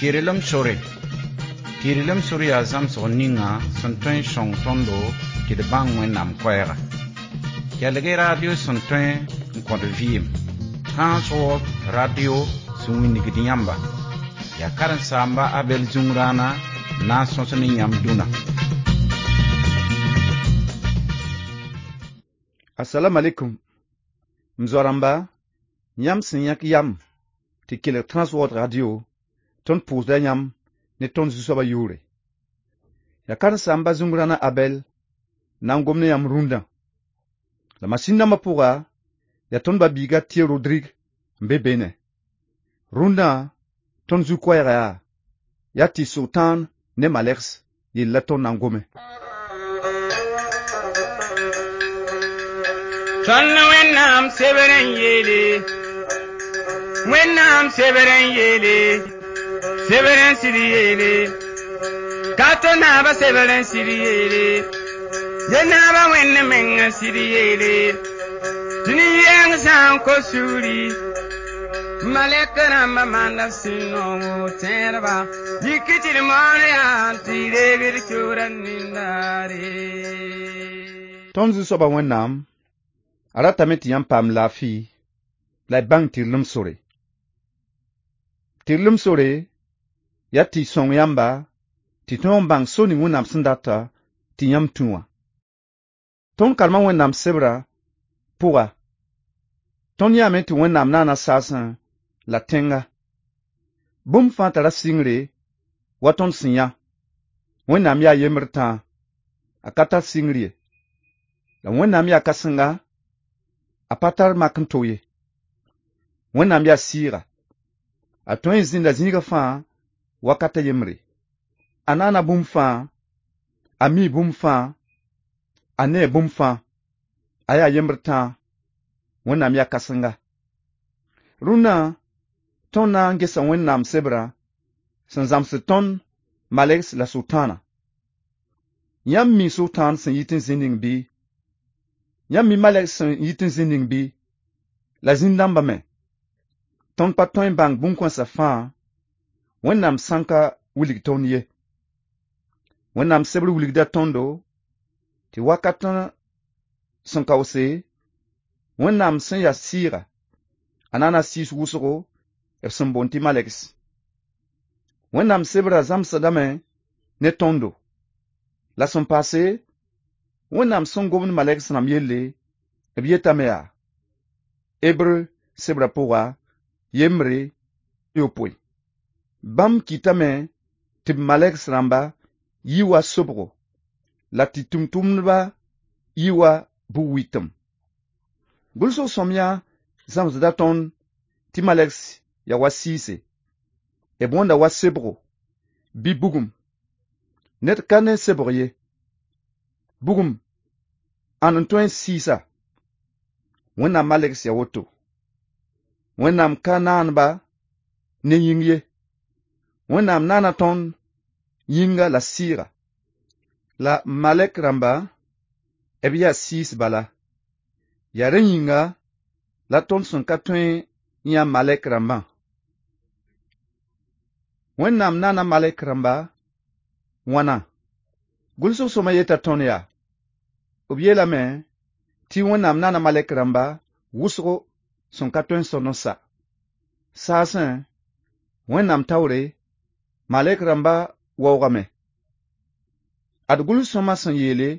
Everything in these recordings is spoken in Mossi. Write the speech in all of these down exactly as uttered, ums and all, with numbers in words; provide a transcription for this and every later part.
Tɩrlem sore. Tɩrlem sore yaa zãmsg ninga sẽn tõe n sõng tõndo tɩ d bãng Wẽnnaam koɛɛga. Kelg-y radio sẽn tõe n kõt vɩɩm. Transworld Radio sẽn wilgd yãmba. Yaa karen-saamba Abɛl Zũngrãana n na n sõs ne yãmb dũnna. Assalamu alaikum. M zoa-rãmba, yãmb sẽn yãk yam tɩ kelg Transworld Radio tõnd pʋʋsda yãmb ne tõnd Zu-soabã yʋʋre. Yaa karen-saamba Zũngrãna Abɛl na n gom ne yãmb rũndã. La masĩn dãmbã pʋga, yaa tõnd ba-biiga Tɩ Rodrig n be beene. Rũndã, tõnd zu-koɛɛga yaa, yaa tɩ Sʋtãan ne malegs yell la tõnd na n gome. Tõnd Wẽnnaam sebr n yeele, Wẽnnaam sebr n yeele, sebr n sɩd yeele, ka tɩ naabã sebr n sɩd yeele, ye naabã Wẽnd meng n sɩd yeele, tɩ nin-yɛng sã n kos sugri, malɛk rãmbã maanda b sẽn noongo tẽedba, yik tɩ d moon yaa tɩ reeg d kiuudã nindaare. Tõnd Zu-soabã Wẽnnaam, a ratame tɩ yãmb paam laafɩ la y bãng tɩrlem sore. Tɩrlem sore yaa tɩ sõng yãmba tɩ tõog n bãng so ning Wẽnnaam sẽn data tɩ yãmb tũ wã. Tõnd karema Wẽnnaam sebrã pʋga, tõnd yãame tɩ Wẽnnaam naana saasẽ la tẽnga. Bũmb fãa tara sɩngre wa tõnd sẽn yã. Wẽnnaam yaa yembr tãa, a ka tar sɩngr ye. La Wẽnnaam yaa kãsenga, a pa tar mak n to ye. Wẽnnaam yaa sɩɩga. A tõe n zĩnda zĩigã fãa wakata yembre. A naana bũmb fãa, a mi bũmb fãa, a nee bũmb fãa. A yaa yembr tãa, Wẽnnaam yaa kãsenga. Rũnnã, tõnd na n gesa Wẽnnaam sebrã sẽn zãmsd tõnd malegs la Sʋtãana. Yãmb mi Sʋtãan sẽn yit n zĩ ning bɩ? Yãmb mi malegs sẽn yit n zĩ ning bɩ? La zĩn-dãmbã me. Tõnd pa tõe n bãng bũn-kãensã fãa, Wẽnnaam sãn ka wilg tõnd ye. Wẽnnaam sebr wilgda tõndo tɩ wakat sẽn kaoose, Wẽnnaam sẽn yaa sɩɩga, a naana sɩɩs wʋsgo b sẽn boond tɩ malegs. Wẽnnaam sebrã zãmsdame ne tõndo. La sẽn paase, Wẽnnaam sẽn gomd malegs rãmb yelle, b yetame yaa: Hebreu sebrã pʋga, yembre yopoe. Bãmb kɩtame tɩ b malegs rãmba yi wa sobgo, la tɩ tʋmtʋmdba yi wa bug-wɩtem. Gʋlsg sõamyã zãmsda tõnd tɩ malegs yaa wa sɩɩse, b wõnda wa sebgo bɩ bugum. Ned ka ne sebg ye. Bugum, ãn n tõe n sɩɩsa? Wẽnnaam malegs yaa woto. Wẽnnaam ka naan-ba ne yĩng ye. Wẽnnaam naana tõnd yĩnga la sɩɩga. La malɛk rãmba, b yaa sɩɩs bala. Yaa rẽ yĩnga la tõnd sẽn ka tõe n yã malɛk rãmbã. Wẽnnaam naana malɛk rãmba wãna? Gʋlsg sõma yeta tõnd yaa: b yeelame tɩ Wẽnnaam naana malɛk rãmba wʋsgo sẽn ka tõe n sõd n sa. Saasẽ, Wẽnnaam taoore, malɛk rãmba waoogame. Ad gʋls-sõma sẽn yeele,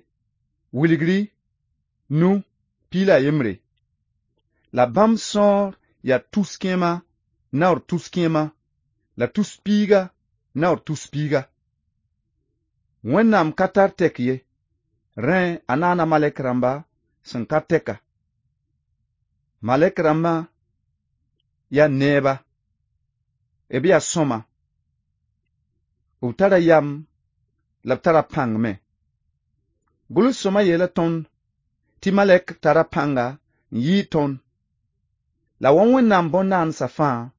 wilgri, nu, piig la a yembre. La bãmb sõor yaa tus kẽema naoor tus kẽema, la tus piiga naoor tus piiga. Wẽnnaam ka tar tɛk ye, rẽ a naana malɛk rãmba sẽn ka tɛka. Malɛk rãmbã yaa neeba, b yaa sõma, b tara yam la b tara pãng me. Gʋls-sõma yeela tõnd tɩ malɛk tara pãnga n yɩɩd tõnd. La wa Wẽnnaam bõn-naandsã fãa,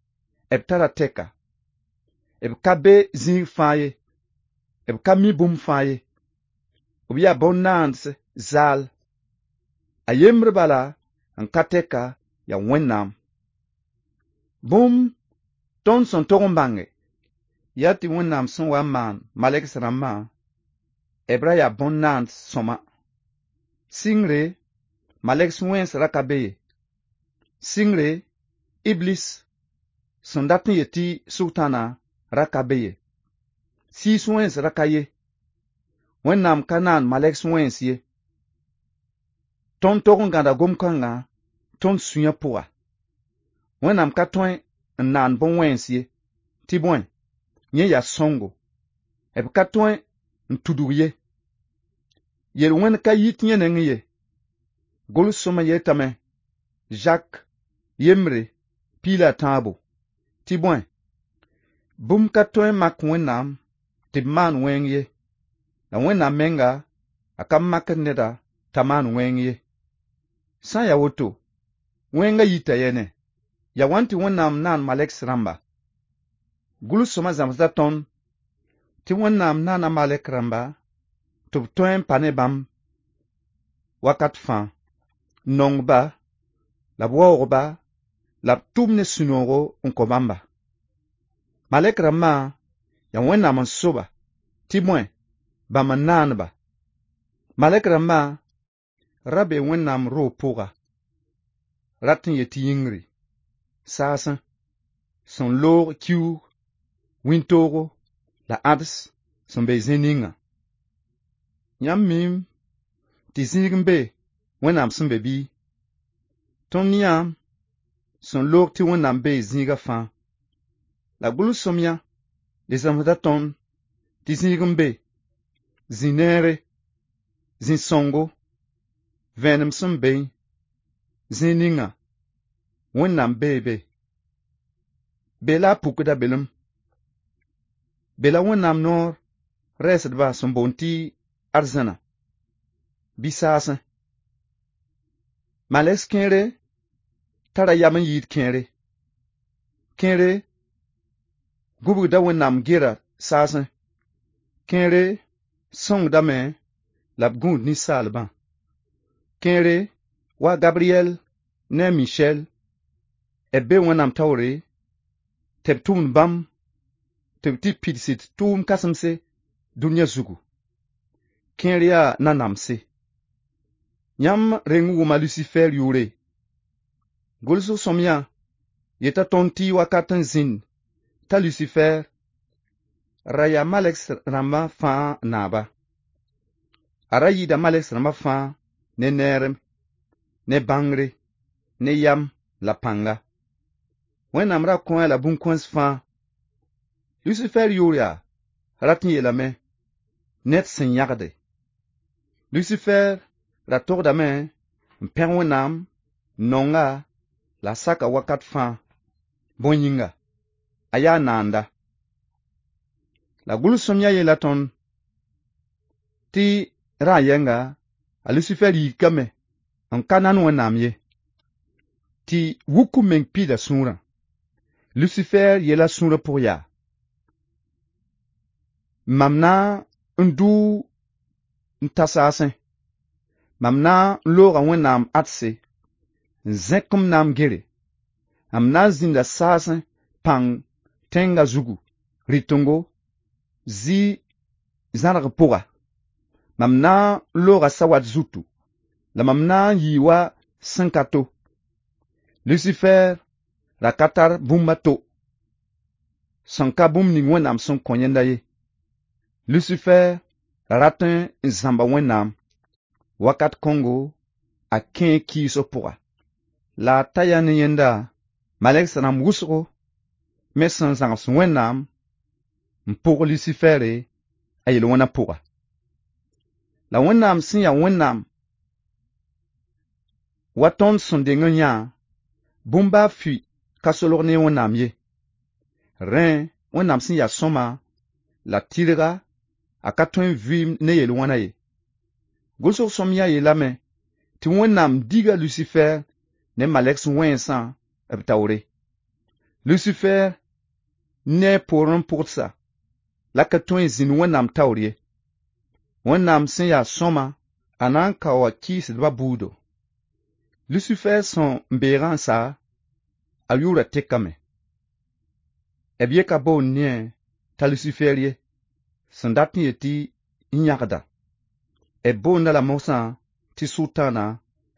b tara tɛka. B ka be zĩig fãa ye, b ka mi bũmb fãa ye. B yaa bõn-naans zaal. A yembr bala n ka tɛka yaa Wẽnnaam. Bũmb tõnd sẽn tog n bãnge, Yaa tɩ Wẽnnaam sẽn wa n maan malɛgs rãmbã, b ra yaa bõn-naand sõma. Sɩngre, malɛgs wẽns ra ka be ye. Sɩngre, Iblis sẽn dat n yet tɩ Sʋtãana ra ka be ye. Sɩɩs wẽns ra ka ye. Wẽnnaam ka naan malɛgs wẽns ye. Tõnd tog n gãda gom-kãngã tõnd sũyã pʋga. Wẽnnaam ka tõe n naan bõn-wẽns ye, tɩ bõe, yẽ yaa sõngo. B ka tõe n tudg ye. Yel-wẽnd ka yit yẽ nengẽ ye. Gʋls-sõma yetame, Zak yembre piig la a tãabo, tɩ bõe, bũmb ka tõe n mak Wẽnnaam tɩ b maan wẽng ye, la Wẽnnaam menga a ka makd neda t'a maan wẽng ye. Sã n ya woto, wẽngã yita yɛne, yaa wãn tɩ Wẽnnaam naan malɛgs rãmba? Gʋls-sõma zãmsda tõnd tɩ Wẽnnaam naana malɛk rãmba tɩ b tõe n pa ne bãmb wakat fãa, n nong-ba la b waoog-ba la b tʋm ne sũ-noogo n kõ bãmba. Malɛk rãmbã yaa Wẽnnaam n so-ba tɩ bõe, bãmb n naan-ba. Malɛk rãmbã ra bee Wẽnnaam roog pʋga, rat n yet tɩ yĩngri, saasẽ, sẽn loog kiuug, wĩntoogo la ãds sẽn be zĩ ninga. Yãmb miime tɩ zĩig n be Wẽnnaam sẽn be bɩ? Tõnd yãam sẽn loog tɩ Wẽnnaam bee zĩigã fãa. La gʋls-sõamyã le zãmsda tõnd tɩ zĩig n be, zĩ-neere, zĩ-sõngo, vẽenem sẽn beẽ, zĩig ninga Wẽnnaam bee be. Be la a pukda belem. Be la Wẽnnaam noor rɛɛsdbã sẽn boond tɩ arzãna bɩ saasẽ. Malɛgs kẽere tara yam n yɩɩd kẽere. Kẽere gũbgda Wẽnnaam gera saasẽ. Kẽere sõngdame la b gũud ninsaalbã. Kẽere wa Gabriel ne a Michel b bee Wẽnnaam taoore tɩ b tʋmd bãmb tɩ b tɩ pidsd tʋʋm kãsemse dũniyã zugu. Kẽer yaa nanamse. Yãmb reng n wʋma Lusifer yʋʋre. Gʋlsg sõamyã yeta tõnd tɩ wakat n zĩnd t'a Lusifer ra yaa malɛgs rãmbã fãa naaba. A ra yɩɩda malɛgs rãmbã fãa ne neerem, ne bãngre, ne yam la pãnga. Wẽnnaam ra kõ-a la bũn-kõns fãa. Lusifer yʋʋr yaa rat n yeelame ned sẽn yãgde. Lusifer ra togdame n pẽg Wẽnnaam, n nonga la a saka wakat fãa. Bõe yĩnga, a yaa naanda. La gʋls-sõamyã yeela tõnd tɩ rã yɛnga a Lusifer yikame n ka nan Wẽnnaam ye, tɩ wuk meng pida sũurã. Lusifer yeela sũurã pʋg yaa: mam na n dʋ n ta saasẽ, mam na n looga Wẽnnaam adse, n zẽk m naam gere, m na n zĩnda saasẽ pãng tẽngã zugu, rɩtengo, zɩ zãrg pʋga. Mam na n looga sawat zutu, la mam na n yɩ wa sẽn ka to. Lusifer ra ka tar bũmb a to, sẽn ka bũmb ning Wẽnnaam sẽn kõ yẽnda ye. Lusifer ra rat n zãmba Wẽnnaam. Wakat kõngo a kẽe kɩɩsg pʋga. La a ta yaa ne yẽnda malɛgs rãmb wʋsgo me sẽn zãgs Wẽnnaam n pʋg Lusifɛɛre a yel-wẽnã pʋga. La Wẽnnaam sẽn yaa Wẽnnaam wa tõnd sẽn deng n yã, bũmb baa fʋɩ ka solg ne Wẽnnaam ye. Rẽ, Wẽnnaam sẽn yaa sõma la tɩrga a ka tõe n vɩɩm ne yel-wẽna ye. Gʋlsg sõamyã yeelame tɩ Wẽnnaam diga Lusifer ne malɛgs wẽnsã b taoore. Lusifer ne a poorẽ pʋgdsa la ka tõe n zĩnd Wẽnnaam taoor ye. Wẽnnaam sẽn yaa sõma, a na n kaoa kɩɩsdbã buudo. Lusifer sẽn beegã n sa, a yʋʋra tekame. B yeka boond ne t'a Lucifer ye sẽn dat n yet tɩ n yãgda. B boonda la mosã tɩ Sʋtãana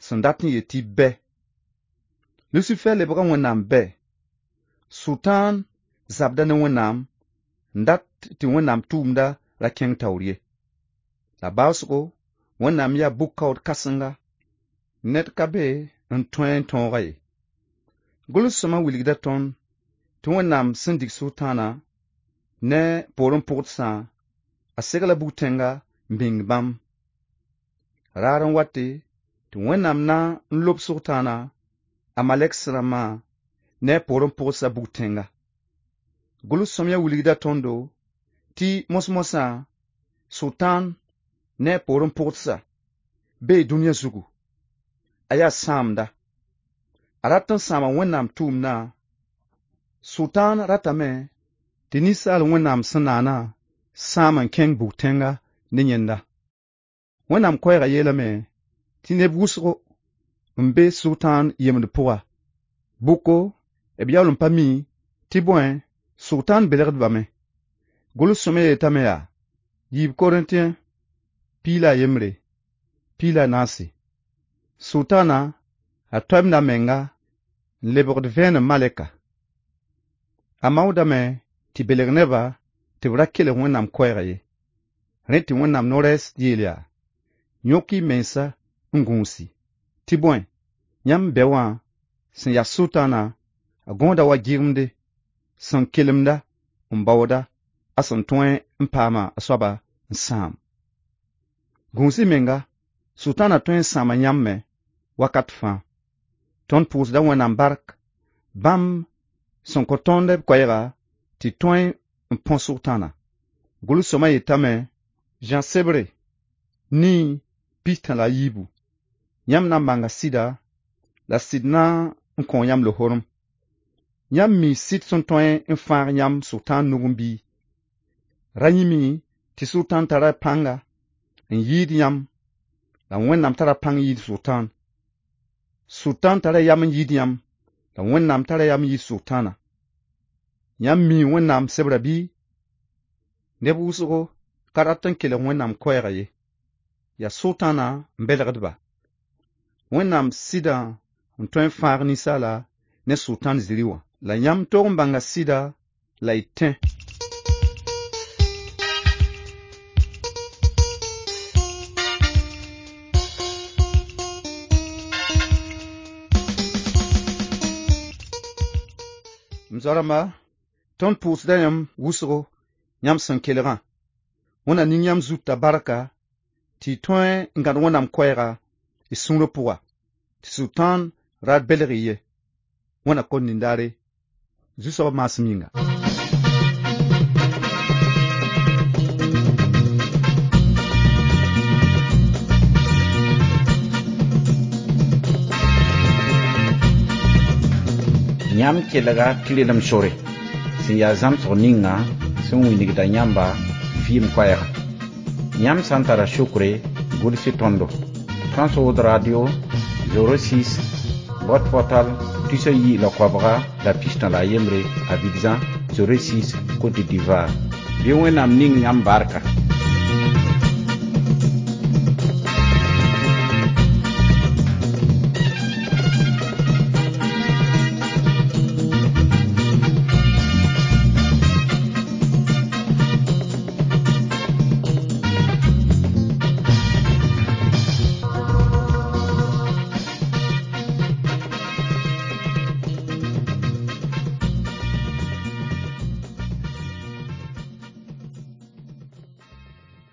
sẽn dat n yet tɩ bɛ. Lucifer lebga Wẽnnaam bɛ. Sʋtãan zabda ne Wẽnnaam n dat tɩ Wẽnnaam tʋʋmda ra kẽng taoor ye. La baoosgo Wẽnnaam yaa bʋ-kaood kãsenga ned ka be n tõe n tõoga ye. Gʋls-sõma wilgda tõnd tɩ Wẽnnaam sẽn dig Sʋtãana ne poorẽ pʋgdsã a segla bug-tẽnga n bĩng bãmb. Raar n wate tɩ Wẽnnaam na n lob Sʋtãana a malɛks rãmbã ne a poorẽ pʋgsã bug-tẽnga. Gʋls-sõamyã wilgda tõndo tɩ mos-mosã Sʋtãan ne a poorẽ pʋgsã bee dũniyã zugu. A yaa sãamda. A rat n sãama Wẽnnaam tʋʋmdã. Sʋtãan ratame tɩ ninsaal Wẽnnaam sẽn naana sãam n kẽng bug-tẽnga ne yẽnda. Wẽnnaam koɛɛgã yeelame tɩ neb wʋsgo n be Sʋtãan yemd pʋga. Bʋko b yaool n pa mi tɩ bõe Sʋtãan belgdbame. Gʋls-sõamyã yetame yaa yiib Korintẽ piig la a yembre, piig la a naase. Sʋtãana a toamda a menga n lebgd vẽenem malɛka. A maoodame tɩ belg nebã tɩ b ra kelg Wẽnnaam koɛɛgã ye. Rẽ tɩ Wẽnnaam no-rɛɛs yeel yaa: yõk y mensa n gũusi. Tɩ bõe, yãmb bɛ wã sẽn yaa Sʋtãana a gõoda wa gɩgemde, sẽn kelemda n baooda a sẽn tõe n paama a soaba n sãam. Gũus y menga, Sʋtãana tõe n sãama yãmb me wakat fãa. Tõnd pʋʋsda Wẽnnaam bark bãmb sẽn kõ tõnd b koɛɛga tɩ tõe n põ Sʋtãana. Gʋls-sõamyã yetame Zã sebre nii pistã la a yiibu. Yãmb na n bãnga sɩda la sɩd na n kõ yãmb lohorem. Yãmb mi sɩd sẽn tõe n fãag yãmb Sʋtãan nugẽ bɩ? Ra yĩme tɩ Sʋtãan tara pãnga n yɩɩd yãmb la Wẽnnaam tara pãng yɩɩd Sʋtãan. Sʋtãan tara yam n yɩɩd yãmb la Wẽnnaam tara yam n yɩɩd Sʋtãana. Yãmb mi Wẽnnaam sebrã bɩ? Neb wʋsgo ka rat n kelg Wẽnnaam koɛɛgã ye. Yaa Sʋtãana n belgdba. Wẽnnaam sɩdã n tõe n fãag ninsaala ne Sʋtãan zĩri wã. La yãmb tog n bãnga sɩda la y tẽ. M zoa-rãmba, tõnd pʋʋsda yãmb wʋsgo yãmb sẽn kelgã. Wẽnna ning yãmb zutã barka tɩ y tõe n gãd Wẽnnaam koɛɛga y sũurã pʋga, tɩ Sʋtãan ra belg y ye. Wẽnna kõt nin-daare, Zu-soabã maasem yĩnga. Yãmb kelga tɩrlem sore sẽn yaa zãmsg ninga sẽn wilgda yãmba vɩɩm koɛɛga. Yãmb sã n tara sokre, gʋls-y tõndo. Trans-Wood Radio zero six boîte postale tus a yi la koabga la pistã la a yembre Abidjan zero six Côte d'Ivoire. Bɩ Wẽnnaam ning yãmb barka.